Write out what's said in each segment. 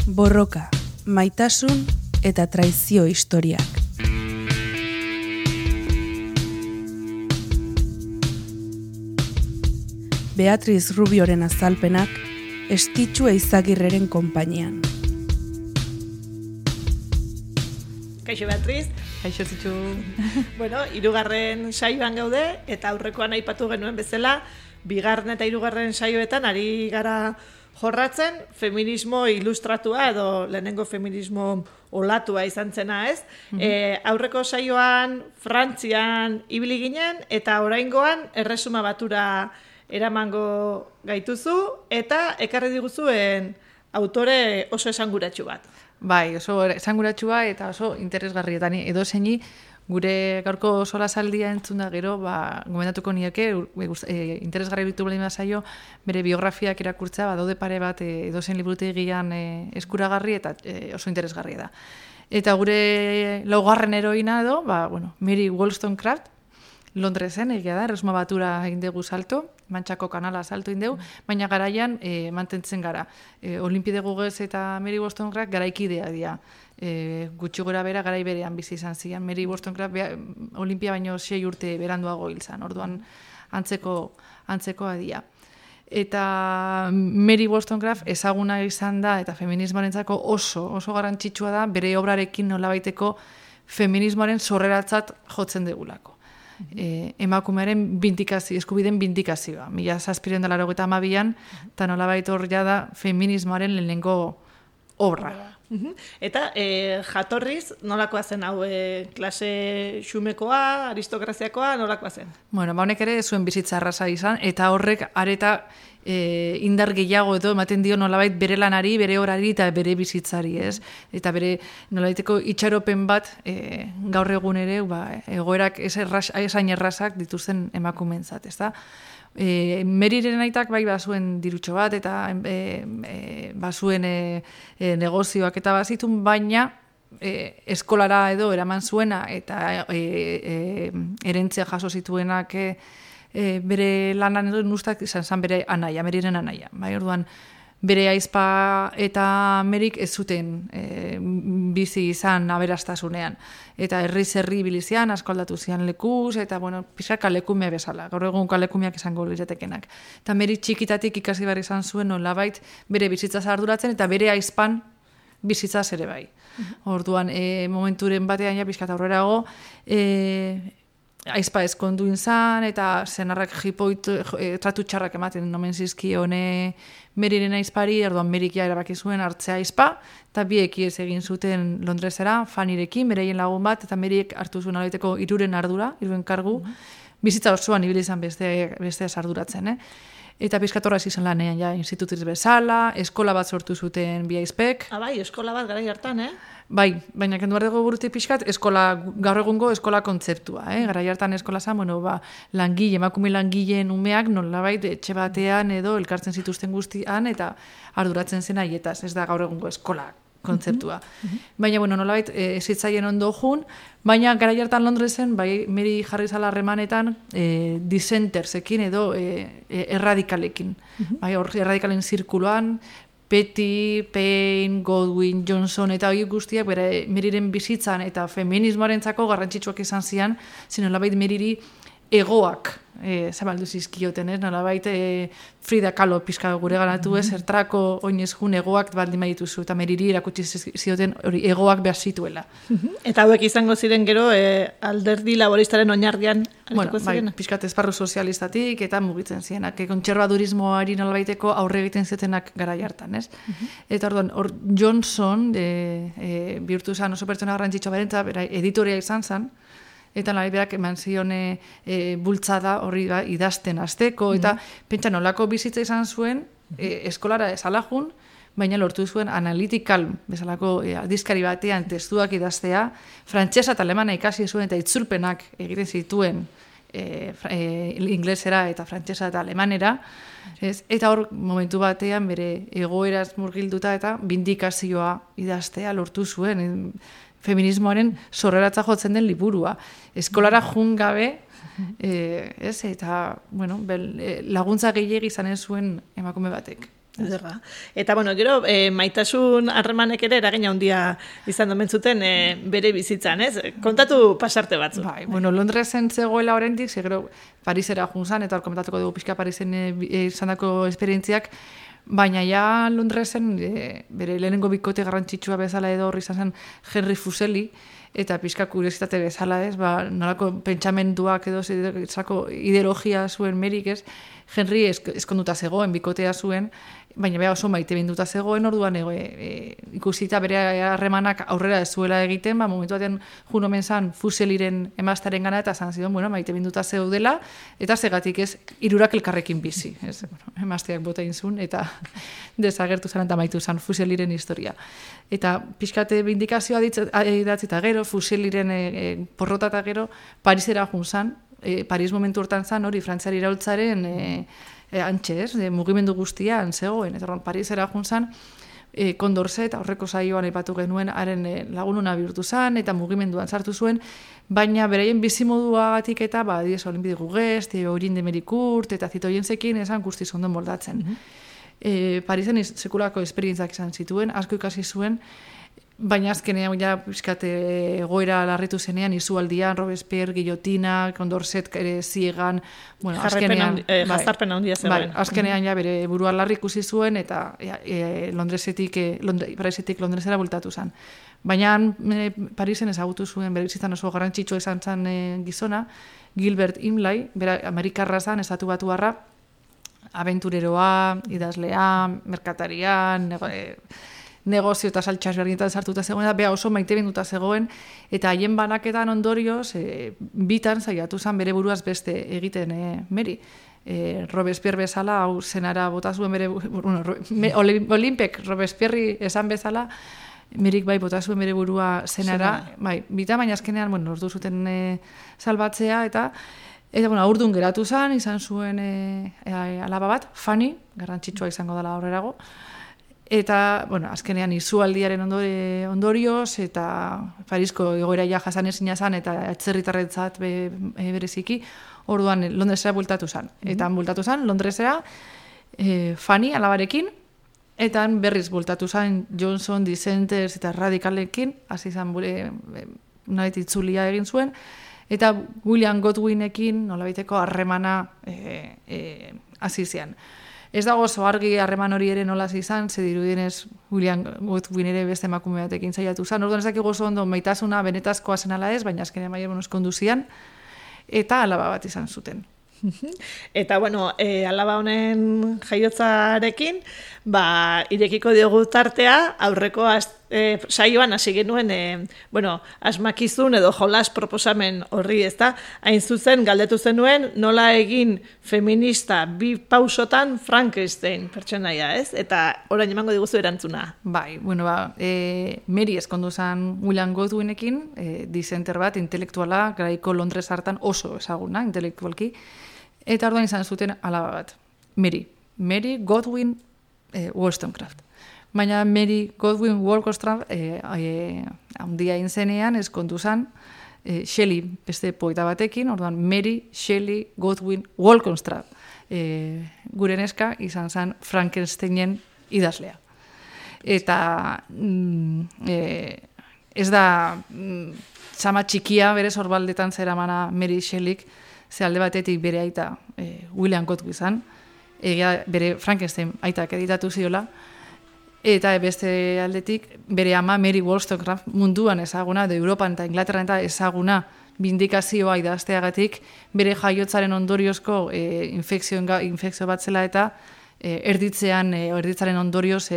Borroka, maitasun eta traizio historiak. Beatriz Rubioren azalpenak Estitxu Eizagirreren konpainian. Kaixo Beatriz. Kaixo Zitxu. Bueno, 3. saioan gaude eta aurrekoan aipatu genuen bezala, 2. eta 3. saioetan ari gara jorratzen feminismo ilustratua edo lehenengo feminismo olatua izan zena, ez? Aurreko saioan Frantzian ibili ginen eta oraingoan Erresuma Batura eramango gaituzu eta ekarri diguzuen autore oso esanguratsu bat. Bai, oso esanguratsua eta oso interesgarrietan edozeini gure gaurko solasaldia entzun da gero, gomendatuko nioke, interesgarri bitu baldin bazaio, bere biografiak irakurtzea, daude pare bat edozein liburutegian eskuragarri eta oso interesgarria da. Eta gure laugarren heroina edo, Mary Wollstonecraft, Londresen, egia da, Erresuma Batura egin dugu salto, Mantxako kanala salto egin dugu, baina garaian mantentzen gara. Olimpide Gugez eta Mary Wollstonecraft garaikidea dira. Gutxi gora bera garai berean bizi izan zian. Mary Wollstonecraft Olimpia baino 6 urte beranduago hil zan, orduan antzekoa dira. Eta Mary Wollstonecraft ezaguna izan da eta feminismoarentzako oso garrantzitsua da bere obrarekin nolabaiteko feminismoaren sorreratzat jotzen degulako. Emakumearen eskubideen bindikazioa. 1782an eta nolabait hor da feminismoaren lehenengo obra. Eta jatorriz, nolakoa zen hau, klase xumekoa, aristokraziakoa, nolakoa zen? Bueno, honek ere zuen bizitza arrasa izan, eta horrek areta indar gehiago edo ematen dio nolabait bere lanari, bere orari eta bere bizitzari, ez? Eta bere nolabaiteko itxaropen bat gaur egun ere, egoerak esain errazak dituzten emakumeentzat, ez da? Meriren aitak bazuen dirutxo bat eta bazuen negozioak eta bazitun, baina eskolara edo eraman zuena eta erentzia jaso zituenak bere lanan edo nustak izan bere anaia, Meriren anaia. Orduan, bere aizpa eta Merik ez zuten bizi izan aberastasunean. Eta herri bilizian, asko aldatu zian lekuz, eta pixka kalekume bezala, gaur egun kalekumeak izango liretekenak. Eta Merik txikitatik ikasi behar izan zuen nolabait bere bizitzaz arduratzen eta bere aizpan bizitzaz ere bai. Orduan, momenturen batean ja pixka aurrerago, aizpa ezkondu izan, eta zenarrak tratu txarrak ematen nomen zizkione Meriren aizpari, orduan Merik ja erabaki zuen hartzea aizpa, eta biek ez egin zuten Londresera, Fannyrekin, bereien lagun bat, eta Merik hartu zuen alaiteko 3 ardura, 3 kargu, bizitza osoan ibili izan beste arduratzen, Eta pizkatorra izan lanean, ja, institutiz bezala, eskola bat sortu zuten bi aizpek. Bai, eskola bat garai hartan, Bai, baina kendu behar dugu burutik pixkat, gaur egungo eskola kontzeptua, Garai hartan eskola zan, emakume langileen umeak nolabait etxe batean edo elkartzen zituzten guztian eta arduratzen zen aietaz, ez da gaur egungo eskola kontzeptua. Baina, nolabait ezitzaien ondo jun, baina garai hartan Londresen, Mary jarri zala harremanetan dissentersekin edo erradikalekin. Erradikalen zirkuloan, Petty, Payne, Godwin, Johnson eta hori guztiak bere Meriren bizitzan eta feminismoarentzako garrantzitsuak izan zian, nolabait Meriri egoak zabaldu zizkioten, nolabait Frida Kahlo pizka gure ganatu zertrako oinez jun egoak baldin badituzu, eta Meriri erakutsi zioten hori egoak behar zituela. Eta hauek izango ziren gero alderdi laboristaren oinarrian arituko ziren? Pizkat esparru sozialistatik eta mugitzen zienak, kontserbadurismoari nolabaiteko aurre egiten zietenak garai hartan, ez? Eta orduan, Johnson bihurtu zen oso pertsona garrantzitsua berentzat, editoria izan zen, eta berak eman zione bultzada horri idazten hasteko, eta pentsa nolako bizitza izan zuen, eskolara esalajun, baina lortu zuen analytical bezalako aldizkari batean testuak idaztea, frantsesa eta alemana ikasi zuen eta itzulpenak egiten zituen inglesera eta frantsesa eta alemanera, eta hor momentu batean bere egoeraz murgilduta eta bindikazioa idaztea lortu zuen, feminismoaren sorreratza jotzen den liburua. Eskolara jun gabe, eta laguntza gehiegi izanen zuen emakume batek. Ederra. Eta, bueno, gero, maitasun harremanek ere eragina handia izan domen zuten bere bizitzan, ez? Kontatu pasarte batzu. Bai, bueno, Londresen zegoela oraindik, gero Parisera junzan, eta hor komentatuko dugu pixka Parisen izandako esperientziak, baina ja Londresen bere lehenengo bikote garrantzitsua bezala edo horri izan zen Henry Fuseli, eta pixka kuriositate bezala, ez, nolako pentsamenduak edo ideologia zuen Merik, ez, Henry eskonduta zegoen, bikotea zuen, baina oso maite binduta zegoen, orduan ikusita bere harremanak aurrera ez zuela egiten, momentu batean jun omen zan Fuseliren emaztaren gana, eta zan zidon, maite binduta zeudela, eta zegatik ez, hirurak elkarrekin bizi, ez, emazteak bota inzun, eta desagertu zan eta maitu zan Fuseliren historia. Eta pixkate bindikazioa idatzi eta gero, Fuseliren porrota eta gero, Parisera jun zan, Paris momentu hortan zan, hori Frantziari iraultzaren antxe, ez, mugimendu guztian zegoen, eta Parisera jun zan, Condorcet, aurreko saioan aipatu genuen, haren lagununa bihurtu zan, eta mugimenduan sartu zuen, baina beraien bizimoduagatik eta, diez, Olimpide Gugest, Orin de Merikurt, eta Zitoienzekin esan guztiz ondo moldatzen. Parisen sekulako esperientzak izan zituen, asko ikasi zuen, baina azkenean ja pixkate goera larritu zenean, izualdian, Robespierre, Guillotina, Condorcet ere ziegan, bueno, azkenean jazarpen handia zegoen. Azkenean ja bere burua larri ikusi zuen eta Parisetik Londresera bultatu zen. Baina Parisen ezagutu zuen bere bizitzan oso garrantzitsua izan zen gizona, Gilbert Imlay, bera Amerikarra zen, estatu batuarra, abentureroa, idazlea, merkataria, negozio eta saltxas berdinetan sartuta zegoen, eta beha oso maite binduta zegoen, eta haien banaketan ondorioz, bitan saiatu zen bere buruaz beste egiten Meri. Robespierre bezala, hau zenara bota zuen bere, Olimpek Robespierre esan bezala, Merik bai bota zuen bere burua zenara, bai, bita, baina azkenean, ordu zuten salbatzea, eta aurdun geratu zen, izan zuen alaba bat, Fanny, garrantzitsua izango dela aurrerago, eta, azkenean izualdiaren ondorioz, eta Parisko egoera ja jasan ezina zen, eta atzerritarretzat bereziki, orduan Londresera bultatu zen. Eta bultatu zen, Londresera, Fanny alabarekin, eta berriz bultatu zen Johnson, Dissenters eta Radikalekin, hasi zen nolabait itzulia egin zuen, eta William Godwinekin nolabaiteko harremana hasi zian. Ez dago oso argi harreman hori ere nola izan, ze dirudienez William Godwin ere beste emakume batekin saiatu zen. Orduan ez dakigu oso ondo maitasuna benetazkoa zen ala ez, baina azkenean maien konduzian, eta alaba bat izan zuten. Eta, alaba honen jaiotzarekin, irekiko diogu tartea, aurreko saioan hasi genuen, asmakizun edo jolas proposamen horri, ezta? Hain zuzen, galdetu zenuen, nola egin feminista bi pausotan Frankenstein pertsonaia, ez? Eta orain emango diguzu erantzuna. Bai, Meri eskondu zen William Godwinekin, dissenter bat, intelektuala, garaiko Londres hartan oso ezaguna, intelektualki, eta orduan izan zuten alaba bat. Mary Godwin Wollstonecraft. Baina Mary Godwin Wollstonecraft handia intzenean eskondu zen Shelley beste poeta batekin, orduan Mary Shelley Godwin Wollstonecraft. Gure neska izan zen Frankensteinen idazlea. Eta ez da txama txikia bere sorbaldetan zeramana Mary Shelleyk, ze alde batetik bere aita William Godwin izan, bere Frankenstein aitak editatu ziola, eta beste aldetik bere ama Mary Wollstonecraft munduan ezaguna, edo Europan eta Inglaterran eta ezaguna bindikazioa idazteagatik, bere jaiotzaren ondoriozko infekzio bat zela eta erditzaren ondorioz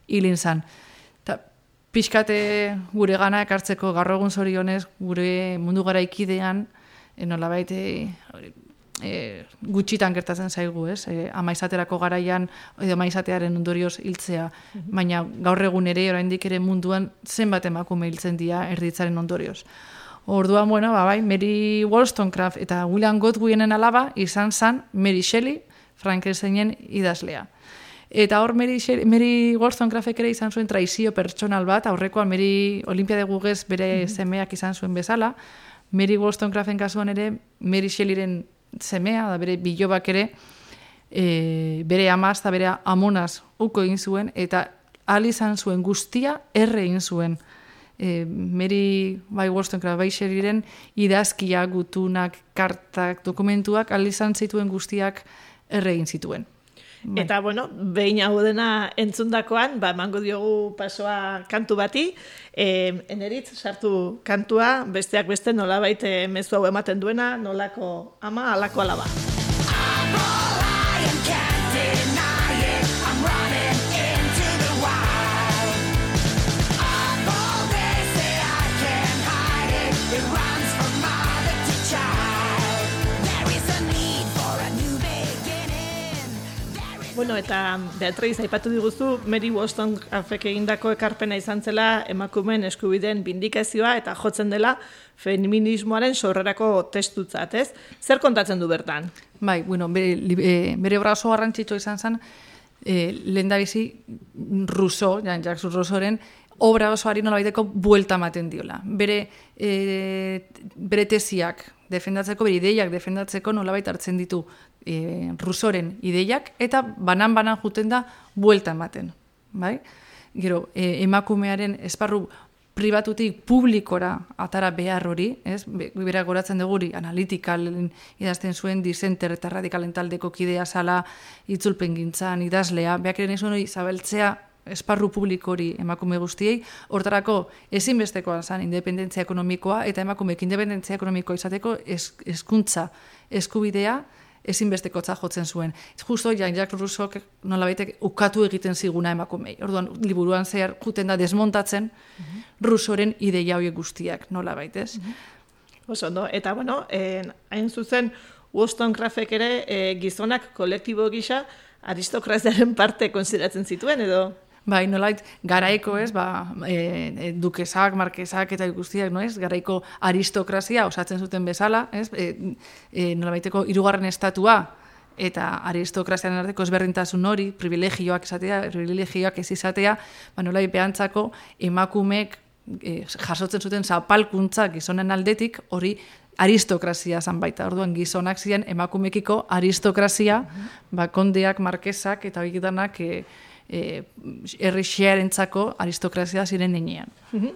hilin zan. Pixkate gure gana ekartzeko gaur egun zorionez, gure mundu garaikidean, nolabait gutxitan gertatzen zaigu, ez? Ama izaterako garaian, edo ama izatearen ondorioz hiltzea, baina gaur egun ere, oraindik ere munduan zenbat emakume hiltzen dira erditzaren ondorioz. Orduan, Mary Wollstonecraft eta William Godwinen alaba izan zen Mary Shelley, Frankensteinen idazlea. Eta hor Mary Wollstonecraftek ere izan zuen traizio pertsonal bat, aurrekoan Mary Olimpiade Gugez bere semeak izan zuen bezala, Mary Wollstonecraften kasuan ere Mary Shelleyren semea, da bere bilobak ere, bere amaz eta bere amonaz uko egin zuen, eta ahal izan zuen guztia erre egin zuen. Mary Wollstonecraft bai Shelleyren idazkia, gutunak, kartak, dokumentuak, ahal izan zituen guztiak erre egin zituen. Eta, bueno, behin hau dena entzundakoan, emango diogu pasoa kantu bati, Eneritz sartu kantua, besteak beste nolabait mezu hau ematen duena, nolako ama, halako alaba. Bueno, eta Beatriz, aipatu diguzu, Mary Wollstonecraftek egindako ekarpena izan zela emakumeen eskubideen bindikazioa eta jotzen dela feminismoaren sorrerako testutzat, ez? Zer kontatzen du bertan? Bai, bueno, bere obra oso garrantzitsua izan zen, lehendabizi Rousseau, Jean-Jacques Rousseauren, obra osoari nolabaiteko buelta ematen diola. Bere tesiak defendatzeko, bere ideiak defendatzeko nolabait hartzen ditu Rousseauren ideiak, eta banan juten da buelta ematen. Bai? Gero, emakumearen esparru pribatutik publikora atara behar hori, ez? Berak goratzen duguri analitikal idazten zuen, dissenter eta radikalen taldeko kidea zala, itzulpen gintzan, idazlea, beak ere nizuen hori zabeltzea esparru publiko hori emakume guztiei, hortarako ezinbestekoa zen independentzia ekonomikoa, eta emakumeek independentzia ekonomikoa izateko hezkuntza eskubidea ezinbestekotza jotzen zuen. Justo Jean-Jacques Rousseauk nolabaitek ukatu egiten ziguna emakumei. Orduan, liburuan zehar juten da desmontatzen Rousseauren ideia horiek guztiak nolabait, ez? Oso, no? Eta, bueno, hain zuzen, Wollstonecraftek ere gizonak kolektibo gisa aristokraziaren parte konsideratzen zituen, edo? Bai, nolait, garaiko, ez, dukesak, markesak eta guztiak, no, ez, garaiko aristokrazia osatzen zuten bezala, ez, nolabaiteko hirugarren estatua eta aristokraziaren arteko ezberdintasun hori, privilegioak ez izatea, nolait behantzako emakumeek jasotzen zuten zapalkuntza gizonen aldetik, hori aristokrazia zan baita. Orduan gizonak ziren emakumekiko aristokrazia, kondeak, markesak eta horiek danak herri xearentzako aristokrazia ziren nenean.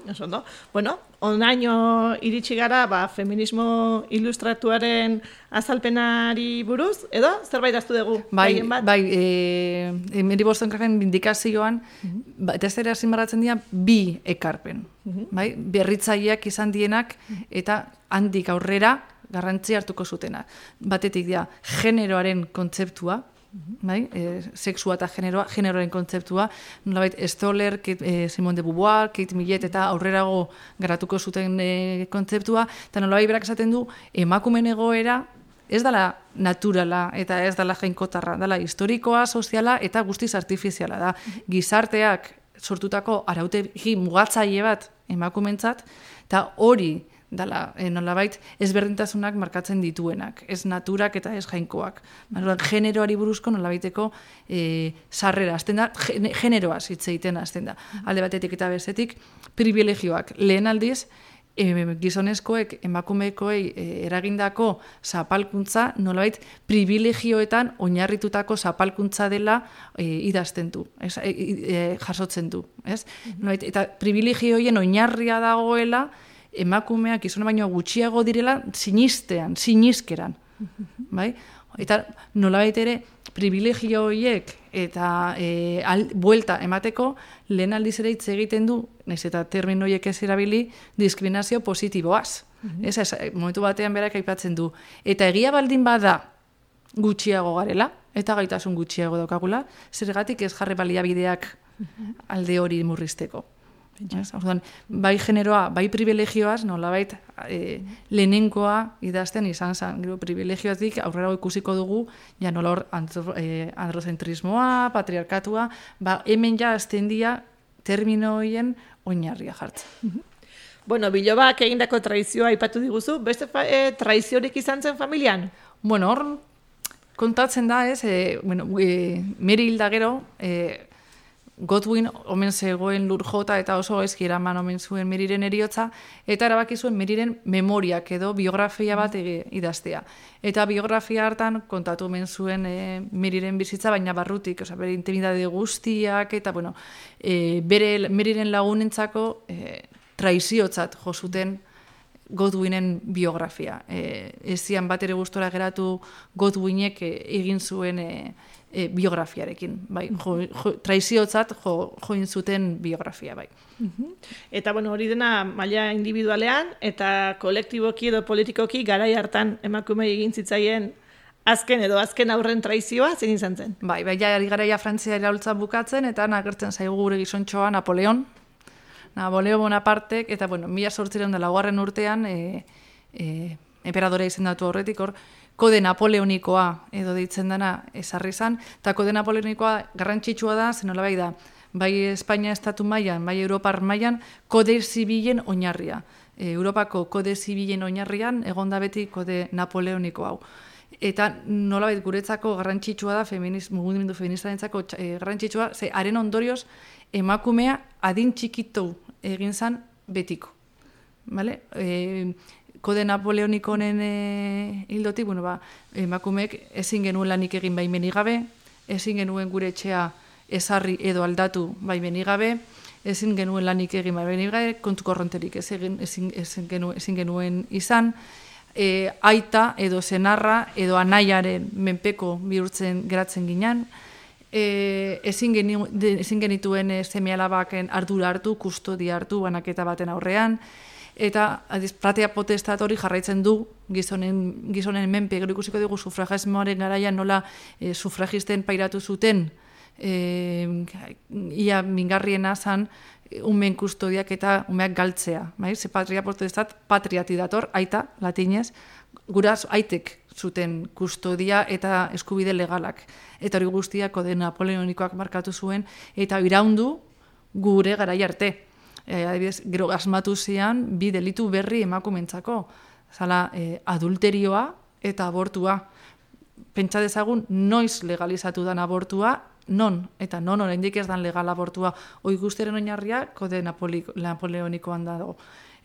Eso, no? Bueno, onaino iritsi gara feminismo ilustratuaren azalpenari buruz, edo zerbait aztu dugu? Bai, Mary Wollstonecraften bindikazioan, eta ez ere azimaratzen dira bi ekarpen. Bai? Berritzaileak izan dienak eta handik aurrera garrantzi hartuko zutena. Batetik dira generoaren kontzeptua, bai? Sexua eta generoaren kontzeptua, nolabait Stoller, Simone de Beauvoir, Kate Millett eta aurrerago garatuko zuten kontzeptua, eta nolabait berak esaten du emakumeen egoera ez dela naturala eta ez dela jainkotarra, dela historikoa, soziala eta guztiz artifiziala da. Gizarteak sortutako arautegi mugatzaile bat emakumentzat, eta hori dala, nolabait, ezberdintasunak markatzen dituenak, ez naturak eta ez jainkoak. Generoari buruzko nolabaiteko sarrera, azten da, generoaz hitz egiten azten da. Alde batetik eta bestetik, privilegioak. Lehen aldiz, gizonezkoek, emakumekoei eragindako zapalkuntza, nolabait, privilegioetan oinarritutako zapalkuntza dela idazten du, jasotzen du. Nolabait, eta privilegioien oinarria dagoela, emakumeak gizona baino gutxiago direla sinizkeran. Bai? Eta nolabait ere privilegio horiek eta buelta emateko lehen aldiz ere hitz egiten du, nahiz eta termino horiek ez erabili, diskriminazio positiboaz. Momentu batean berak aipatzen du. Eta egia baldin bada gutxiago garela, eta gaitasun gutxiago daukagula, zergatik ez jarri baliabideak alde hori murrizteko. Bai generoa, bai privilegioaz, nolabait lehenengoa idazten izan zen. Privilegioatik aurrera ikusiko dugu, ja nola hor androzentrismoa, patriarkatua, hemen ja azten dira termino horien oinarria jartzen. Bueno, Bilobak egindako traizioa aipatu diguzu, beste traiziorik izan zen familian? Bueno, hor kontatzen da, ez, Mary hilda gero, Godwin omen zegoen lur jota eta oso gaizki eraman omen zuen Meriren eriotza, eta erabaki zuen Meriren memoriak edo biografia bat idaztea. Eta biografia hartan kontatu omen zuen Meriren bizitza, baina barrutik, bere intimidade guztiak, eta bere Meriren lagunentzako traiziotzat jo zuten Godwinen biografia. Ez zian bat ere gustora geratu Godwinek egin zuen biografiarekin. Bai, traiziotzat join zuten biografia, bai. Eta hori dena maila individualean eta kolektiboki edo politikoki garai hartan emakumei egin zitzaien azken aurren traizioa zein izan zen? Bai, ari garaia Frantzia iraultza bukatzen eta agertzen zaigu gure gizontxoa Napoleon Bonapartek, eta 1804 urtean emperadora izendatu horretik hor, kode napoleonikoa edo deitzen dena ezarri zan, eta kode napoleonikoa garrantzitsua da, zenolabait da, bai Espainia estatu mailan, bai Europar mailan, kode zibilen oinarria. Europako kode zibilen oinarrian egonda beti kode napoleoniko hau. Eta nolabait guretzako garrantzitsua da, mugimendu feministarentzako garrantzitsua, ze haren ondorioz emakumea adin txikitu egin zan betiko. Vale? Kode napoleoniko honen hildotik, emakumeek ezin genuen lanik egin baimenik gabe, ezin genuen gure etxea ezarri edo aldatu baimenik gabe, ezin genuen lanik egin baimenik gabe, kontu korronterik ezin genuen izan, aita edo senarra edo anaiaren menpeko bihurtzen geratzen ginen, ezin genituen seme-alabaken ardura hartu, kustodia hartu banaketa baten aurrean, eta platea potestat hori jarraitzen du gizonen menpe. Gero ikusiko dugu sufragismoaren garaian nola sufragisten pairatu zuten ia mingarriena zan umen kustodiak eta umeak galtzea. Ze patria potestat patriati dator, aita, latinez, guraz aitek zuten kustodia eta eskubide legalak. Eta hori guztiak kode napoleonikoak markatu zuen, eta iraundu gure garai arte. Adibidez, gero asmatu zian bi delitu berri emakumentzako. Zala, adulterioa eta abortua. Pentsa dezagun, noiz legalizatu dan abortua, non oraindik ez dan legal abortua. Hoi guztiaren oinarria kode napoleonikoan dago.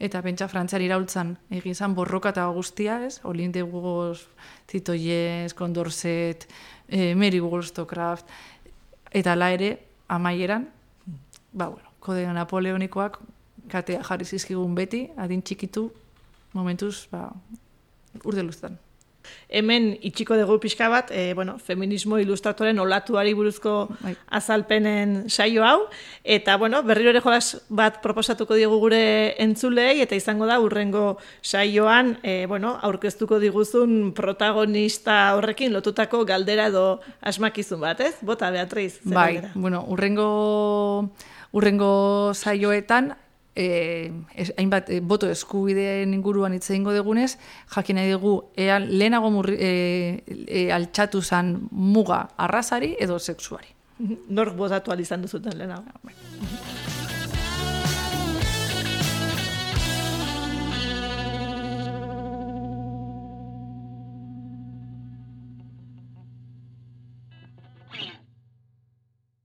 Eta pentsa Frantzian iraultzan egin zan borroka eta guztia, ez? Olin de Burgos, Titoies, Condorcet, Mary Wollstonecraft, eta la ere, amaieran, kode napoleonikoak katea jarri zizkigun beti, adin txikitu, momentuz, urde luztan. Hemen itxiko dugu pixka bat, feminismo ilustratoren olatuari buruzko azalpenen saio hau, eta berriro ere jolas bat proposatuko diegu gure entzulei, eta izango da urrengo saioan aurkeztuko diguzun protagonista horrekin lotutako galdera edo asmakizun bat, ez? Bota, Beatriz. Bai, urrengo saioetan, hainbat boto eskubideen inguruan hitz egingo dugunez, jakin nahi dugu lehenago altxatu zan muga arrazari edo sexuari. Nork botatu alizan duzuten lehenago.